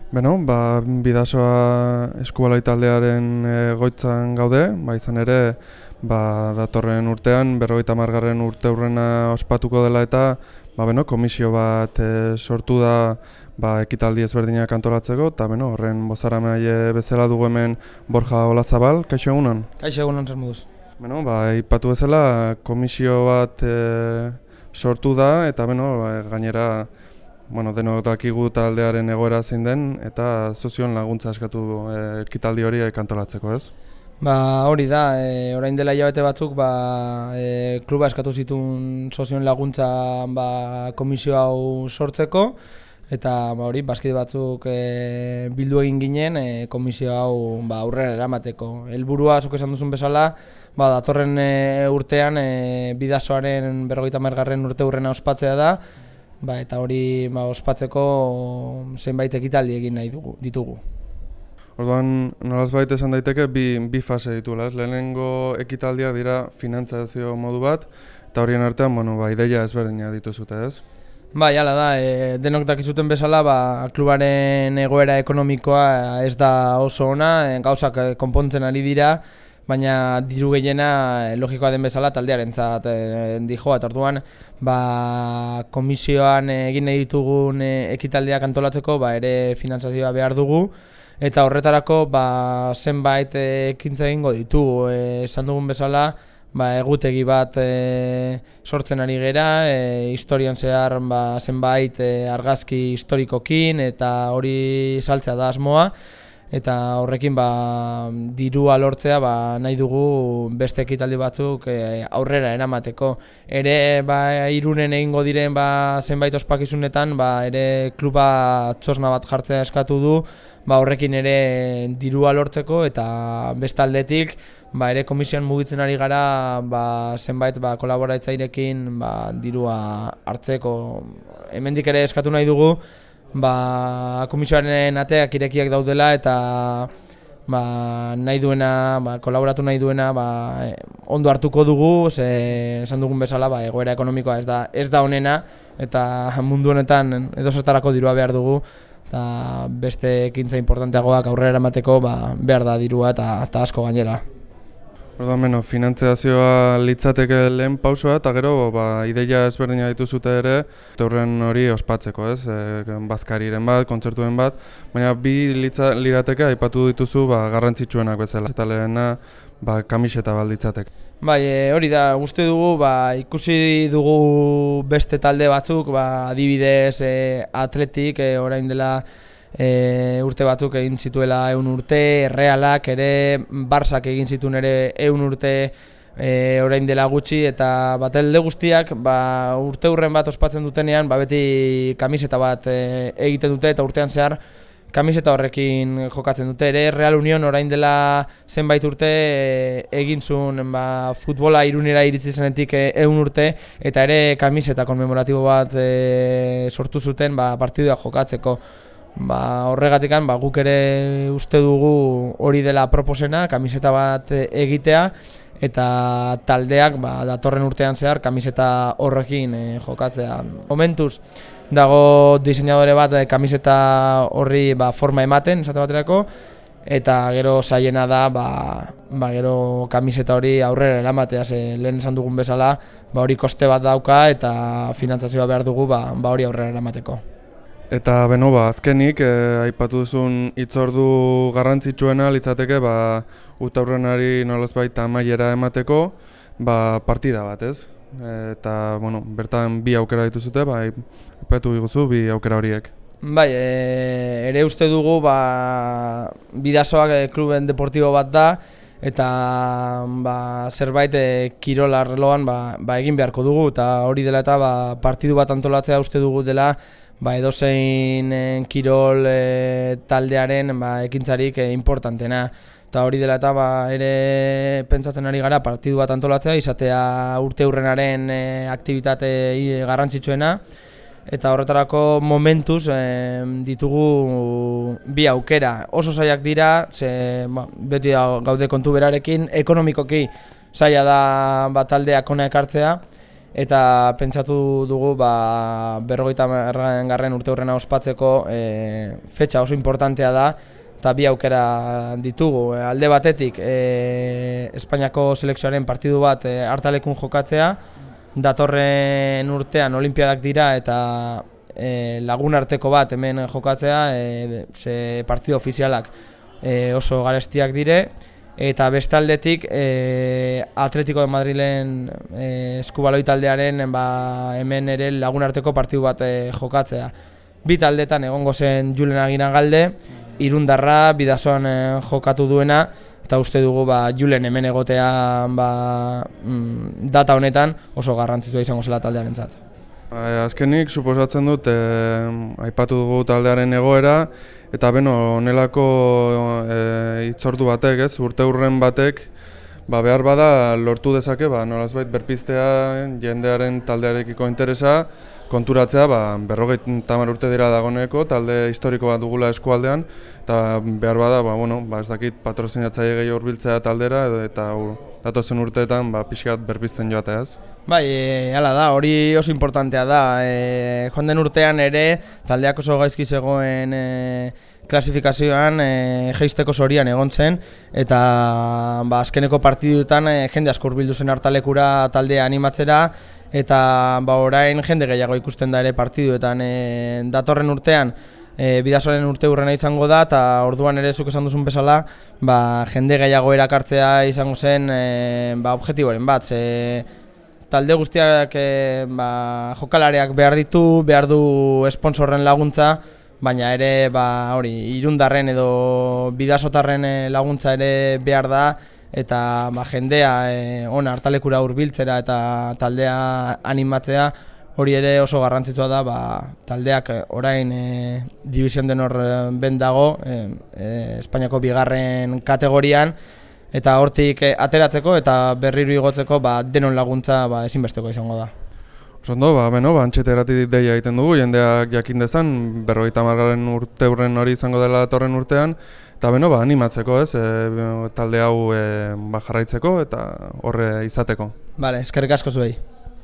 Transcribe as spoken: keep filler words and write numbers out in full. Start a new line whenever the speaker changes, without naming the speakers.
Beno, ba, Bidasoa eskubaloi taldearen egoitzan gaude, ba, izan ere ba, datorren urtean, berrogeita hamargarren urte hurrena ospatuko dela eta ba, beno, komisio bat e, sortu da ba, ekitaldi ezberdinak antolatzeko, eta beno, horren bozaramaile bezala dugu hemen Borja Olazabal, kaixo egunon?
Kaixo egunon, zer moduz.
Beno, ba, ipatu bezala komisio bat e, sortu da, eta beno, ba, gainera Bueno, denok dakigu taldearen egoera zein den eta sozioen laguntza eskatu e, ekitaldi hori antolatzeko, ez?
Ba, hori da, e, orain dela hilabete batzuk ba, e, kluba eskatu zituen sozioen laguntza ba, komisio hau sortzeko eta ba, hori, bazkide batzuk e, bildu egin ginen e, komisio hau ba, aurrera eramateko. Helburua, zuk esan duzun bezala, ba, datorren e, urtean e, Bidasoaren berrogeita hamargarren urte hurrena ospatzea da. Ba, eta hori ba, ospatzeko zenbait ekitaldi egin nahi dugu, ditugu.
Orduan, nolazbait esan daiteke bi, bi fase dituela, ez? Lehenengo ekitaldiak dira finantzazio modu bat, eta horien artean, bueno, ba, ideia ezberdina dituzute, ez?
Bai, hala da, e, denok dakizuten bezala, ba, klubaren egoera ekonomikoa ez da oso ona, e, gauzak konpontzen ari dira, baina diru gehiena logikoa den bezala taldearentzat e, dijoa, eta orduan ba, komisioan egin nahi ditugun e, ekitaldiak antolatzeko ba, ere finantzazioa behar dugu, eta horretarako ba, zenbait e, ekintza egingo ditugu. E, esan dugun bezala, ba, egutegi bat e, sortzen ari gera, e, historian zehar ba, zenbait e, argazki historikokin, eta hori saltzea da asmoa. Eta horrekin ba, dirua lortzea ba, nahi dugu beste ekitaldi batzuk e, aurrera eramateko. Ere ba, Irunen egingo diren ba, zenbait ospakizunetan ba, ere kluba txosna bat jartzea eskatu du, ba, horrekin ere dirua lortzeko eta beste aldetik ba, ere komisioan mugitzen ari gara ba, zenbait ba, kolaboratzaileekin ba, dirua hartzeko. Hemendik ere eskatu nahi dugu Ba, komisioaren ateak irekiak daudela eta ba, nahi duena, ba, kolaboratu nahi duena ba, ondo hartuko dugu, ze esan dugun bezala ba, egoera ekonomikoa ez da, ez da onena eta mundu honetan edozertarako dirua behar dugu eta beste ekintza importanteagoak aurrera eramateko ba, behar da dirua eta, eta asko gainera.
Orduan, beno, finantzazioa litzateke lehen pausoa eta gero ba, ideia ezberdina dituzute ere horren hori ospatzeko, ez? E, bazkariren bat, kontzertuen bat, baina bi litza, lirateke aipatu dituzu ba, garrantzitsuenak bezala. Eta lehena ba, kamiseta bat litzateke.
Bai, e, hori da, uste dugu, ba, ikusi dugu beste talde batzuk, ba, adibidez e, Atletik, e, orain dela E, urte batzuk egin zituela ehun urte, Realak ere, Barsak egin zituen ere ehun urte e, orain dela gutxi, eta batelde guztiak ba, urte hurren bat ospatzen dutenean ba, beti kamiseta bat e, egiten dute eta urtean zehar kamiseta horrekin jokatzen dute ere. Real Union orain dela zenbait urte e, egin zuen ba, futbola Irunera iritsi zenetik ehun urte eta ere kamiseta konmemoratibo bat e, sortu zuten ba, partidua jokatzeko. Ba, horregatikan ba, guk ere uste dugu hori dela proposena, kamiseta bat egitea eta taldeak ba, datorren urtean zehar kamiseta horrekin e, jokatzea. Momentuz dago diseinadore bat e, kamiseta horri ba, forma ematen, esate baterako, eta gero zailena da ba, ba, gero kamiseta hori aurrera eramatea, ze lehen esan dugun bezala ba, hori koste bat dauka eta finantzazioa behar dugu ba, ba, hori aurrera eramateko.
Eta beno, ba, azkenik, eh, aipatu duzun hitzordu garrantzitsuena litzateke ba, urteurrenari nolazbait amaiera emateko ba, partida bat, ez? Eta, bueno, bertan bi aukera dituzute, ba, aipatu diguzu bi aukera horiek.
Bai, e, ere uste dugu ba, Bidasoak e, kluben deportibo bat da eta ba, zerbait e, kirol arloan ba, ba, egin beharko dugu eta hori dela eta ba, partidu bat antolatzea uste dugu dela ba, edozein e, kirol e, taldearen ba, ekintzarik e, importantena. Eta hori dela eta ba, ere pentsatzen ari gara partidu bat antolatzea, izatea urte hurrenaren e, aktibitate e, garrantzitsuena. Eta horretarako momentuz e, ditugu bi aukera. Oso zailak dira, ze, ba, beti gaude kontu berarekin, ekonomikoki zaila da ba, taldeak hona ekartzea. eta pentsatu dugu ba, berrogeita garren urte hurrena ospatzeko e, fetxa oso importantea da, eta bi aukera ditugu. E, alde batetik e, Espainiako selekzioaren partidu bat e, Hartalekun jokatzea, datorren urtean olimpiadak dira eta e, lagun arteko bat hemen jokatzea, e, ze partidu ofizialak e, oso garestiak dire, eta bestaldetik e, Atletico de Madrilen e, eskubaloi taldearen ba, hemen ere lagun arteko partidu bat e, jokatzea. Bi taldetan egongo zen Julen Aginagalde, Irundarra Bidasoan e, jokatu duena, eta uste dugu ba, Julen hemen egotea ba, mm, data honetan oso garrantzitsua izango zela taldearentzat.
Azkenik, suposatzen dut, eh, aipatu dugu taldearen egoera, eta beno, honelako eh, hitzordu batek, ez, urte hurren batek, ba, behar bada lortu dezake, ba, nolazbait berpiztea jendearen taldearekiko interesa, konturatzea, ba, berrogeita hamar urte dira dagoeneko, talde historiko bat dugula eskualdean, eta behar bada, ba, bueno, ba, ez dakit patrozinatzaile gehiago hurbiltzea taldera, edo, eta datozen urteetan ba, pixkat berpizten joatea, ez?
Bai, e, hala da, hori oso importantea da. E, joan den urtean ere, taldeak oso gaizki zegoen e, klasifikazioan e, jeisteko zorian egon zen, eta ba, azkeneko partiduetan e, jende asko hurbildu zen Hartalekura taldea animatzera, eta ba, orain jende gehiago ikusten da ere partiduetan. E, datorren urtean, e, Bidasoaren urte hurrena izango da, eta orduan ere zuk esan duzun bezala, ba, jende gehiago erakartzea izango zen e, ba, objektiboren bat. Ze, talde guztiak e, ba, jokalareak behar ditu, behar du esponsorren laguntza, baina ere ba, hori, Irundarren edo Bidasotarren laguntza ere behar da, eta ba, jendea e, ona Hartalekura hurbiltzera eta taldea animatzea, hori ere oso garrantzitsua da, ba, taldeak orain e, Division de Honor ben dago, e, e, Espainiako bigarren kategorian, eta hortik ateratzeko eta berriro igotzeko ba, denon laguntza ba, ezinbesteko izango da.
Osondo, ba, beno, ba, antxeteratik deia egiten dugu, jendeak jakin dezan, berrogeita hamargarren urte hurren hori izango dela datorren urtean, eta beno, ba, animatzeko, ez, e, talde hau e, ba, jarraitzeko eta horre izateko.
Bale, eskerrik asko zuei.